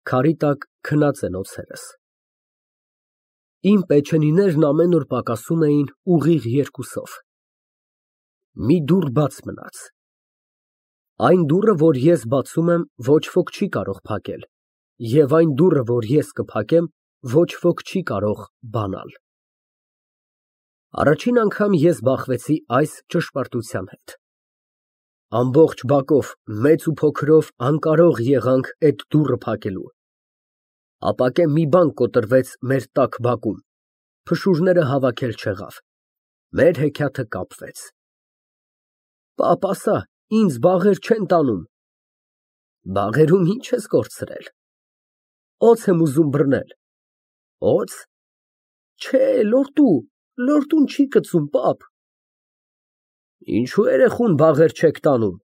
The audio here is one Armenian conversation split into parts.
Քարի տակ քնած են օձերս։ Իմ պեչենիներն ամեն օր պակասում էին ուղիղ 2-ով։ Մի դուռ բաց մնաց։ Այն դուռը, որ ես բացում եմ, ոչ ոք չի կարող փակել, և այն դուռը, որ ես կփակեմ, ոչ ոք չի կարող բանալ։ Առաջին անգամ ես բախվեցի այս ճշմարտության հետ։ Ամբողջ բակով, մեծ ու փոքրով անկարող եղանք այդ դուռը փակելու։ Ապակե մի բան կոտրվեց մեր տաք բակում, փշուրները հավաքել չեղավ, մեր հեքիաթը կապվեց։ Պապ ասա, ինձ բաղեր չեն տանում։ Բաղերում ինչ ես կորցրել։ Օձ եմ ուզում բռնել։ Օձ։ Չէ, լորտուն չի կծում, պապ։ Ինչու երեխուն բաղեր չեք տանում։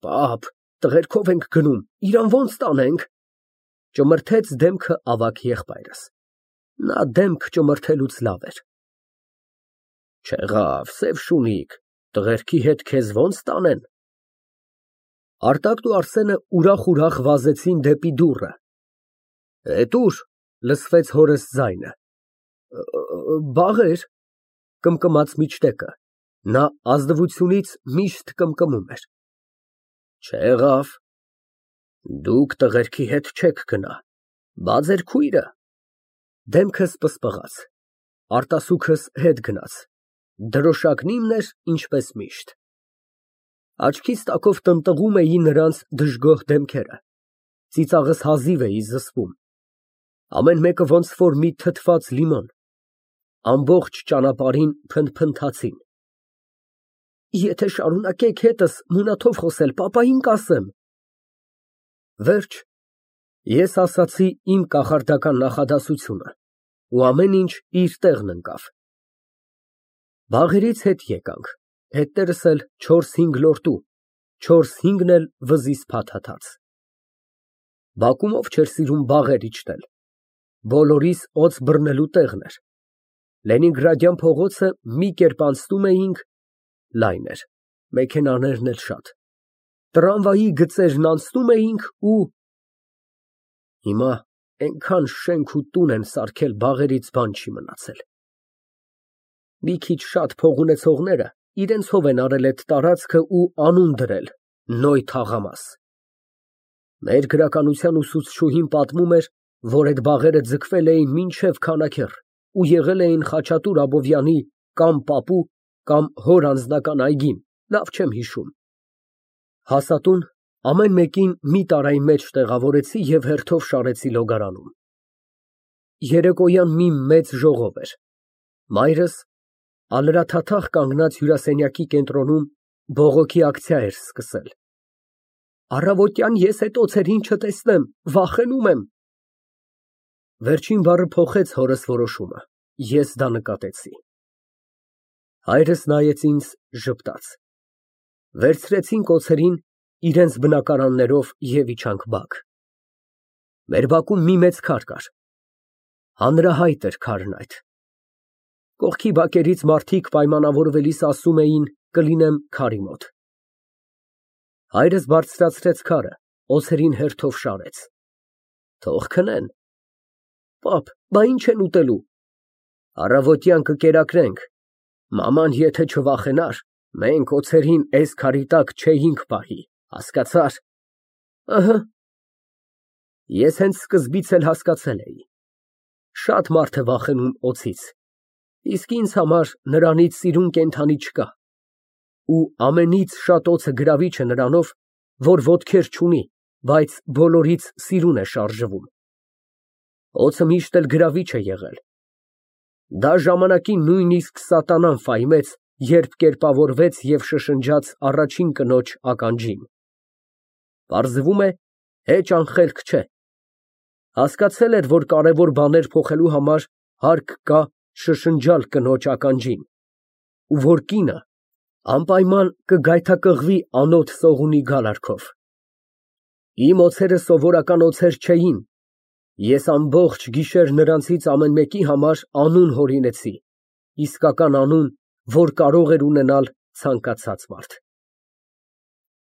Պապ, տղերքով ենք գնում, իրան ոնց տանենք։ Ճմրթեց դեմքը ավագ եղբայրս։ Նա դեմք ճմրթելուց լավ էր։ Չեղավ, սև շունիկ, տղերքի հետ քեզ ոնց տանեն։ Արտակն ու Արսենը ուրախ վազեցին դեպի դուռը։ Էդ ուր, լսվեց հորս ձայնը։ Բաղեր, կմկմաց միջտեկը, նա ազնվությունից միշտ կմկմում էր։ Չեղավ, դուք տղերքի հետ չեք գնա, բա ձեր քույրը։ Դեմքս պսպղաց, արտասուքս հետ գնաց, դրոշակն իմն էր, ինչպես միշտ։ Աչքիս տակով տնտղում էի նրանց դժգոհ դեմքերը, ծիծաղս հազիվ էի զսպում, ամեն մեկը ոնց որ մի թթված լիմոն, ամբողջ ճանապարհին փնթփնթացին։ Եթե շարունակեք հետս մունաթով խոսել, պապային կասեմ։ Վերջ, ես ասացի իմ կախարդական նախադասությունը, ու ամեն ինչ իր տեղն ընկավ։ Բաղերից հետ եկանք, հետներս էլ 4-5 լորտու, 4-5-ն էլ վզից փաթաթած։ Բակում ով չէր սիրում բաղեր իջնել, բոլորիս օձ բռնելու տեղն էր։ Լենինգրադյան փողոցը մի կերպ անցնում էինք, լայն էր, մեքենաներն էլ շատ, տրամվայի գծերն անցնում էինք ու… Հիմա այնքան շենք ու տուն են սարքել, բաղերից բան չի մնացել։ Մի քիչ շատ փող ունեցողները իրենցով են արել այդ տարածքը ու անուն դրել Նոյ թաղամաս։ Մեր գրականության ուսուցչուհին պատմում էր, որ այդ բաղերը ձգվել էին մինչև քանաքեռ ու եղել էին Խաչատուր Աբովյանի կամ պապու, կամ հոր անձնական այգին, լավ չեմ հիշում։ Հասատուն ամեն մեկին մի տարայի մեջ տեղավորեցի և հերթով շարեցի լոգարանում։ Երեկոյան մի մեծ ժողով էր։ Մայրս ալրաթաթախ կանգնած հյուրասենյակի կենտրոնում բողոքի ակցիա էր սկսել։ Առավոտյան ես էդ օձերին չտեսնեմ, վախենում եմ։ Վերջին բառը փոխեց հորս որոշումը, ես դա նկատեցի։ Հայրս նայեց ինձ, ժպտաց։ Վերցրեցինք օձերին իրենց բնակարաններով և իջանք բակ։ Մեր բակում մի մեծ քար կար։ Հանրահայտ էր քարն այդ։ Կողքի բակերից մարդիկ պայմանավորվելիս ասում էին կլինեմ քարի մոտ։ Հայրս բարձրացրեց քարը, օձերին հերթով շարեց։ Թող քնեն։ Պապ, բա ինչ են ուտելու։ Առավոտյան կկերակրենք։ Մաման եթե չվախենար, մենք օձերին էս քարի տակ չէինք պահի, հասկացա՞ր։ Ըհը։ Ես հենց սկզբից էլ հասկացել էի։ Շատ մարդ է վախենում օձից, իսկ ինձ համար նրանից սիրուն կենդանի չկա։ Ու ամենից շատ օձը գրավիչ է նրանով, որ ոտքեր չունի, բայց բոլորից սիրուն է շարժվում։ Օձը միշտ էլ գրավիչ է եղել։ Դա ժամանակին նույնիսկ սատանան ֆայմեց, երբ կերպավորվեց և շշնջաց առաջին կնոջ ականջին։ Պարզվում է, հեչ անխելք չէ։ Հասկացել էր, որ կարևոր բաներ փոխելու համար հարկ կա շշնջալ կնոջ ականջին, ու որ կինը անպայման կգայթակղվի անոտ սողունի գալարքով։ Իմ օձերը սովորական օձեր չէին։ Ես ամբողջ գիշեր նրանցից ամեն մեկի համար անուն հորինեցի, իսկական անուն, որ կարող էր ունենալ ցանկացած մարդ։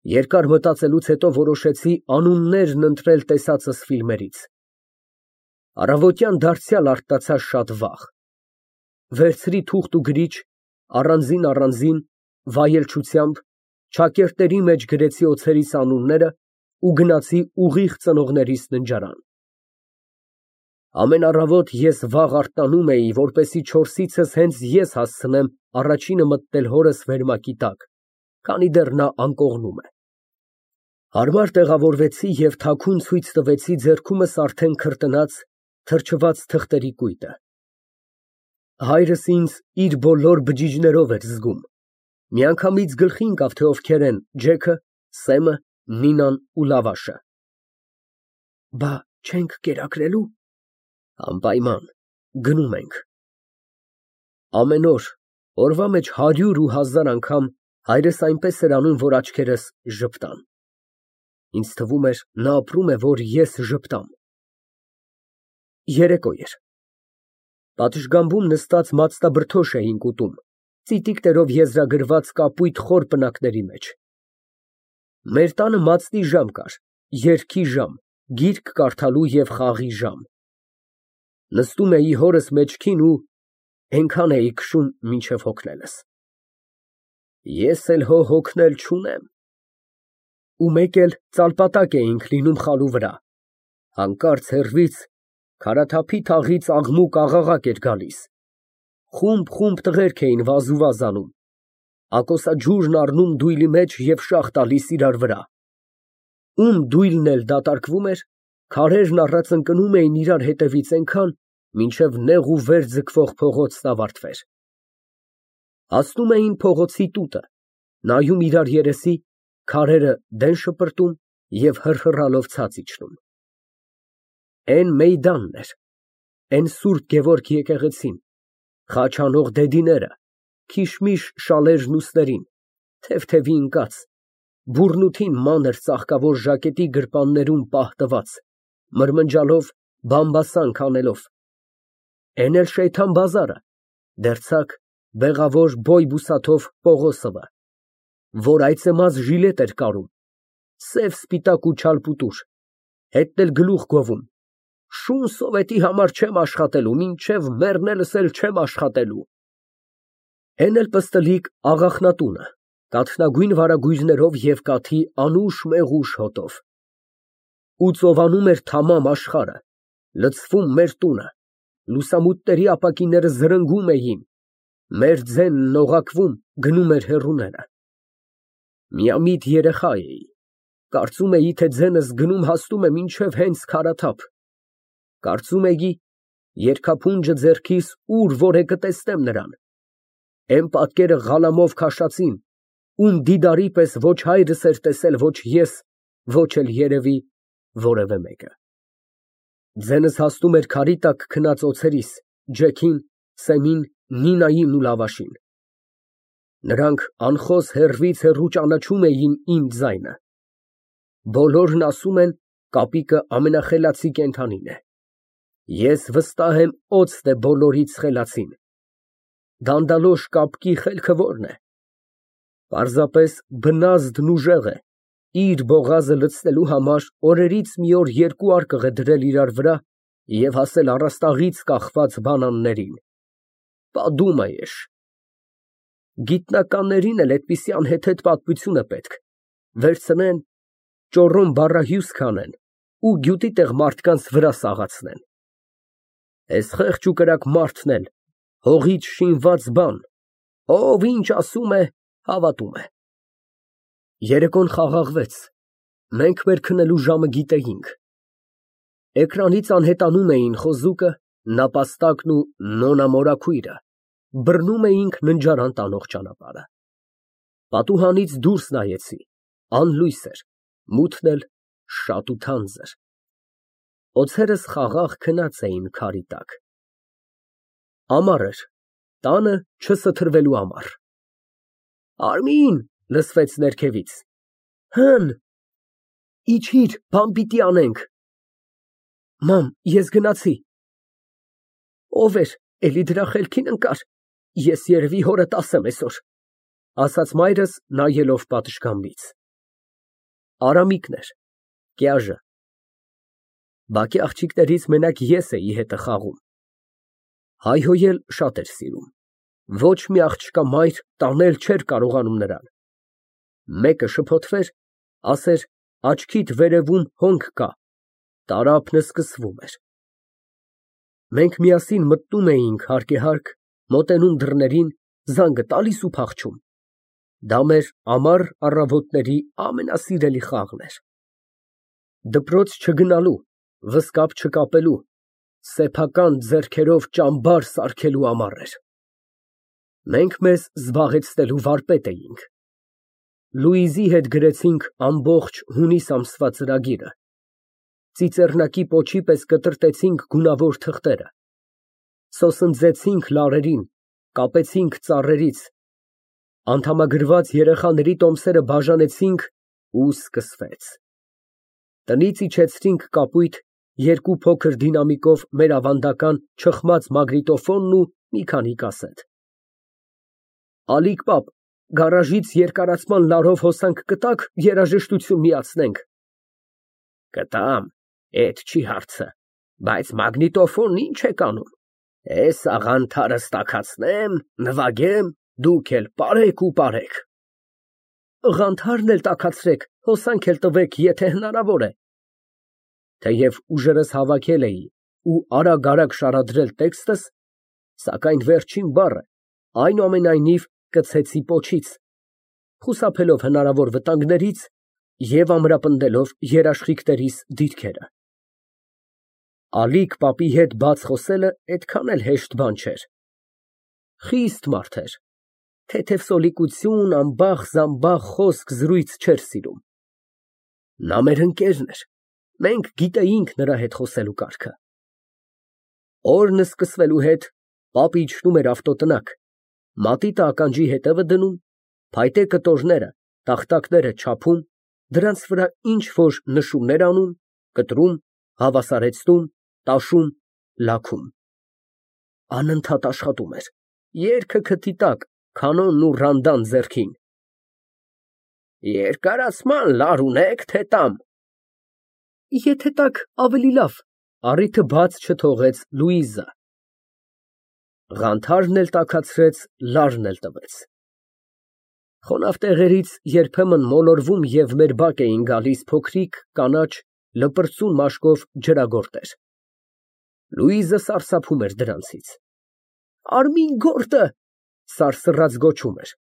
Երկար մտածելուց հետո որոշեցի անուններն ընտրել տեսածս ֆիլմերից։ Առավոտյան դարձյալ արտացա շատ վաղ։ Վերցրի թուղթ ու գրիչ, առանձին վայելչությամբ չակերտների մեջ գրեցի օձերիս անունները ու գնացի ուղիղ ծնողներիս ննջարան։ Ամեն առավոտ ես վաղ արթնանում էի, որպեսզի 4-ից հենց ես հասցնեմ առաջինը մտնել հորս վերմակի տակ, քանի դեռ նա անկողնում է։ Հարմար տեղավորվեցի և թաքուն ցույց տվեցի ձեռքումս արդեն քրտնած, թրջված թղթերի կույտը։ Հայրս ինձ իր բոլոր բջիջներով էր զգում, միանգամից գլխի ընկավ, թե ովքեր են Ջեքը, Սեմը, Նինան ու Լավաշը։ Բա չենք կերակրելու։ Անպայման, գնում ենք։ Ամեն օր, օրվա մեջ 100 ու 1000 անգամ հայրս այնպես էր անում, որ աչքերս ժպտան։ Ինձ թվում էր, նա ապրում է, որ ես ժպտամ։ Երեկո էր։ Պատշգամբում նստած մածտաբրդոշ էինք ուտում, ծիտիկներով եզրագրված կապույտ խոր պնակների մեջ։ Մեր տանը մածնի ժամ կար, երգի ժամ, գիրք կարդալու և խաղի ժամ։ Նստում էի հորս մեջքին ու էնքան էի քշում, մինչև հոգնելս։ Ես էլ հո հոգնել չունեմ։ Ու մեկ էլ ծալպատակ էինք լինում խալու վրա, հանկարծ հեռվից քարաթափի թաղից աղմուկ աղաղակ էր գալիս, խումբ տղերք էին վազուվազ անում, ակոսաջուրն առնում դույլի մեջ և շաղ տալիս իրար վրա, ում դույլն էլ դատարկվում էր, քարերն առած ընկնում էին իրար հետևից այնքան, մինչև նեղ ու վեր ձգվող փողոցն ավարտվեր։ Հասնում էին փողոցի տուտը, նայում իրար երեսի, քարերը դեն շպրտում և հռհռալով ցած իջնում։ Էն Մեյդանն էր, էն Սուրբ Գևորգ եկեղեցին, խաչ անող դեդիները, քիշմիշ շալերն ուսերին, թեթևի ընկած, բուռնութին մանր ծաղկավոր ժակետի գրպաններում պահ տված, մրմնջալով, բամբասանք անելով, էն էլ Շեյթան բազարը, դերձակ, բեղավոր բոյ֊բուսաթով Պողոսովը, որ այծեմաց ժիլետ էր կարում, սև սպիտակ ու չալպուտուր, հետն էլ գլուխ գովում, շուն սովետի համար չեմ աշխատելու, մինչև մեռնելս էլ չեմ աշխատելու։ Էն էլ պստլիկ աղախնատունը, կաթնագույն վարագույրներով և կաթի անուշ մեղուշ հոտով։ Ու ծովանում էր թամամ աշխարհը, լցվում մեր տունը, լուսամուտների ապակիները զրնգում էին, մեր ձենն օղակվում, գնում էր հեռուները։ Միամիտ երեխա էի, կարծում էի, թե ձենս գնում հասնում է մինչև հենց քարաթափ, կարծում էի, երկափունջը ձեռքիս ուր որ է կտեսնեմ նրան, էն պատկերը Ղալամով քաշածին, ում դիդարի պես ոչ հայրս էր տեսել, ոչ ես, ոչ էլ երևի որևէ մեկը։ Ձենս հասնում էր քարի տակ քնած օձերիս, Ջեքին, Սեմին, Նինային ու Լավաշին։ Նրանք անխոս հեռվից հեռու ճանաչում էին իմ ձայնը։ Բոլորն ասում են, կապիկը ամենախելացի կենդանին է։ Ես վստահ եմ, օձն է բոլորից խելացին։ Դանդալոշ կապկի խելքը ո՞րն է։ Պարզապես բնազդն ուժեղ է, իր բողազը լցնելու համար օրերից մի օր երկու արկղ է դրել իրար վրա և հասել առաստաղից կախված բանաններին։ Պատում է էշ։ Գիտնականներին էլ այդպիսի անհեթեթ պատմություն է պետք, վերցնեն, ճոռոմ բառահյուս քանեն ու գյուտի տեղ մարդկանց վրա սաղացնեն։ Էս խեղճ ու կրակ մարդն էլ, հողից շինված բան, ով ինչ ասում է, հավատում է։ Երեկոն խաղաղվեց, մենք մեր քնելու ժամը գիտեինք։ Էկրանից անհետանում էին խոզուկը, նապաստակն ու նոնա մորաքույրը, բռնում էինք ննջարան տանող ճանապարհը։ Պատուհանից դուրս նայեցի, անլույս էր, մութն էլ շատ ու թանձր։ Օձերս խաղաղ քնած էին քարի տակ։ Ամառ էր, տանը չսթրվելու ամառ։ Արմին, լսվեց ներքևից։ Հըն, իջիր, բան պիտի անենք։ Մամ, ես գնացի։ Ով էր, էլի դրա խելքին ընկար, ես երևի հորդ ասեմ այսօր, ասաց մայրս նայելով պատշգամբից։ Արամիկն էր, կյաժը։ Բակի աղջիկներից մենակ ես էի հետը խաղում։ Հայհոյել շատ էր սիրում։ Ոչ մի աղջկա մայր տանել չէր կարողանում նրան։ Մեկը շփոթվեր, ասեր աչքիդ վերևում հոնք կա, տարափն սկսվում էր։ Մենք միասին մտնում էինք հարկ, մոտենում դռներին, զանգը տալիս ու փախչում։ Դա մեր ամառ առավոտների ամենասիրելի խաղն էր։ Դպրոց չգնալու, վզկապ չկապելու, սեփական ձեռքերով ճամբար սարքելու ամառ էր։ Մենք մեզ զբաղեցնելու վարպետ էինք։ Լուիզի հետ գրեցինք ամբողջ հունիս ամսվա ծրագիրը։ Ծիծեռնակի պոչի պես կտրտեցինք գունավոր թղթերը։ Սոսնձեցինք լարերին, կապեցինք ծառերից, անդամագրված երեխաների տոմսերը բաժանեցինք ու սկսվեց։ Տնից իջեցրինք կապույտ, երկու փոքր դինամիկով մեր ավանդական չխմած մագնիտոֆոնն ու մի քանի կասետ։ Ալիկ պապ, գարաժից երկարացման լարով հոսանք կտաք, երաժշտություն միացնենք։ Կտամ, էդ չի հարցը, բայց մագնիտոֆոնն ինչ եք անում։ Էս աղանթարս տաքացնեմ, նվագեմ, դուք էլ պարեք ու պարեք։ Ղանթարն էլ տաքացրեք, հոսանք էլ տվեք, եթե հնարավոր է։ Թեև ուժերս հավաքել էի ու արագ շարադրել տեքստս, սակայն վերջին բառը այնուամենայնիվ կցեցի պոչից, խուսափելով հնարավոր վտանգներից և ամրապնդելով երաշխիքներիս դիրքերը։ Ալիկ պապի հետ բաց խոսելը այդքան էլ հեշտ բան չէր։ Խիստ մարդ էր, թեթևսոլիկություն, ամբախ խոսք-զրույց չէր սիրում։ Նա մեր ընկերն էր, մենք գիտեինք նրա հետ խոսելու կարգը։ Օրն սկսվելու հետ պապը իջնում էր ավտոտնակ, մատիտը ականջի հետևը դնում, փայտե կտորները, տախտակները չափում, դրանց վրա ինչ-որ նշումներ անում, կտրում, հավասարեցնում, տաշում, լաքում։ Անընդհատ աշխատում էր, երգը քթի տակ, կանոնն ու ռանդան ձեռքին։ Երկարացման լար ունեք, թե տամ։ Եթե տաք, ավելի լավ, առիթը բաց չթողեց Լուիզը։ Ղանթարն էլ տաքացրեց, լարն էլ տվեց։ Խոնավ տեղերից երբեմն մոլորվում և մեր բակ էին գալիս փոքրիկ, կանաչ, լպրծուն մաշկով ջրագործեր։ Լուիզը սարսափում էր դրանցից։ Արմին գորտը, սարսռած գոչում էր։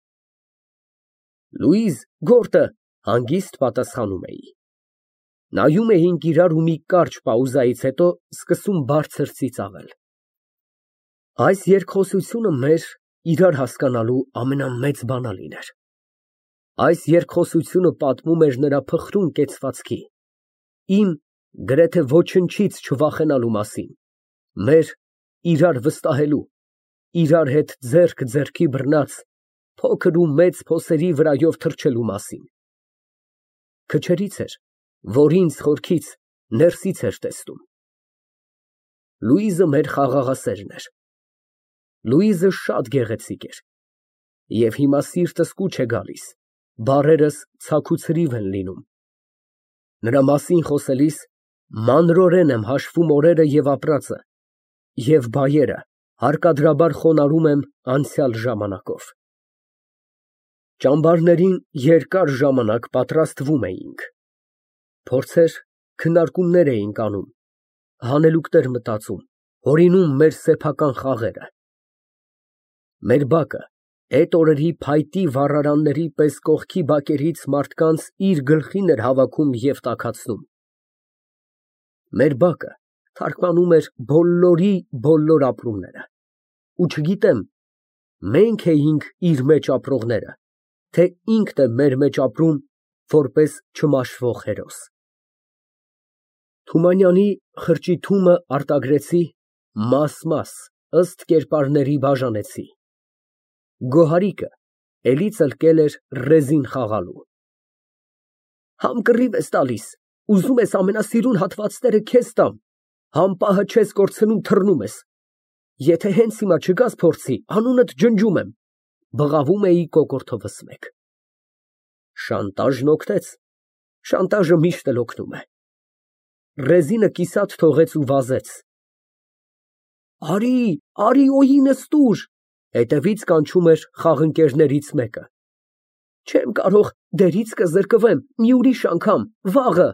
Լուիզ, գորտը, հանգիստ պատասխանում էի։ Նայում էինք իրար ու մի կարճ պաուզայից հետո սկսում բարձր ծիծաղել։ Այս երկխոսությունը մեր իրար հասկանալու ամենամեծ բանալին էր։ Այս երկխոսությունը պատմում էր նրա փխրուն կեցվածքի, իմ գրեթե ոչնչից չվախենալու մասին, մեր իրար վստահելու, իրար հետ ձեռք ձեռքի բռնած, փոքր ու մեծ փոսերի վրայով թռչելու մասին։ Քչերից էր, որ ինձ խորքից, ներսից էր տեսնում։ Լուիզը մեր խաղաղասերն էր։ Լուիզը շատ գեղեցիկ էր։ Եվ հիմա սիրտս կուչ է գալիս, բառերս ցաք ու ցրիվ են լինում։ Նրա մասին խոսելիս մանրորեն եմ հաշվում օրերը և ապրածը, և բայերը հարկադրաբար խոնարհում եմ անցյալ ժամանակով։ Ճամբարներին երկար ժամանակ պատրաստվում էինք։ Փորձեր, քննարկումներ էինք անում, հանելուկներ մտածում, հորինում մեր սեփական խաղերը։ Մեր բակը էդ օրերի փայտի վառարանների պես կողքի բակերից մարդկանց իր գլխին էր հավաքում և տաքացնում։ Մեր բակը թարգմանում էր բոլորի բոլոր ապրումները, ու չգիտեմ, մենք էինք իր մեջ ապրողները, թե ինքն է մեր մեջ ապրում որպես չմաշվող հերոս։ Թումանյանի խրճիթումը արտագրեցի, մաս, ըստ կերպարների բաժանեցի։ Գոհարիկը էլի ծլկել էր ռեզին խաղալու։ Համ կռիվ ես տալիս, ուզում ես ամենասիրուն հատվածները քեզ տամ, համ պահը չես կորցնում, թռնում ես։ Եթե հենց հիմա չգաս փորձի, անունդ ջնջում եմ, բղավում էի կոկորդովս մեկ։ Շանտաժն օգնեց։ Շանտաժը միշտ էլ օգնում է։ Ռեզինը կիսատ թողեց ու վազեց։ Արի, օյինս տուր։ Հետևից կանչում էր խաղընկերներից մեկը։ Չեմ կարող, դերիցկը զրկվեմ, մի ուրիշ անգամ, վաղը։